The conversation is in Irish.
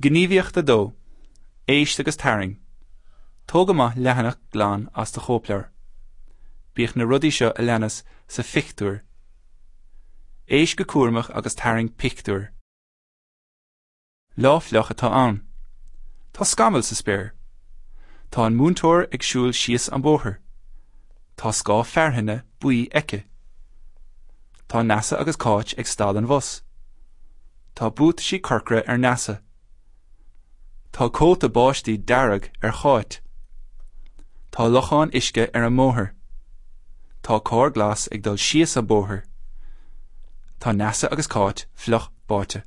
Gníomhaíocht 2, Éist agus Tarraing. Tóg amach leathanach glan as do chóipleabhar. Bíodh na rudaí seo a leanas sa phictiúr. Éist go cúramach agus tarraing pictiúr. Lá fliuch atá ann. Tá scamaill sa spéir. Tá an múinteoir ag siúl síos an bóthar. Tá scáth fearthainne buí aici. Tá Neasa agus Cáit ag stad an bhus. Tá buataisí corcra ar Neasa. Tá cóta báistí dearg ar Cháit. Tá lochán uisce ar an mbóthar. Tá carr glas ag dul síos an bóthar. Tá Neasa agus Cáit fliuch báite.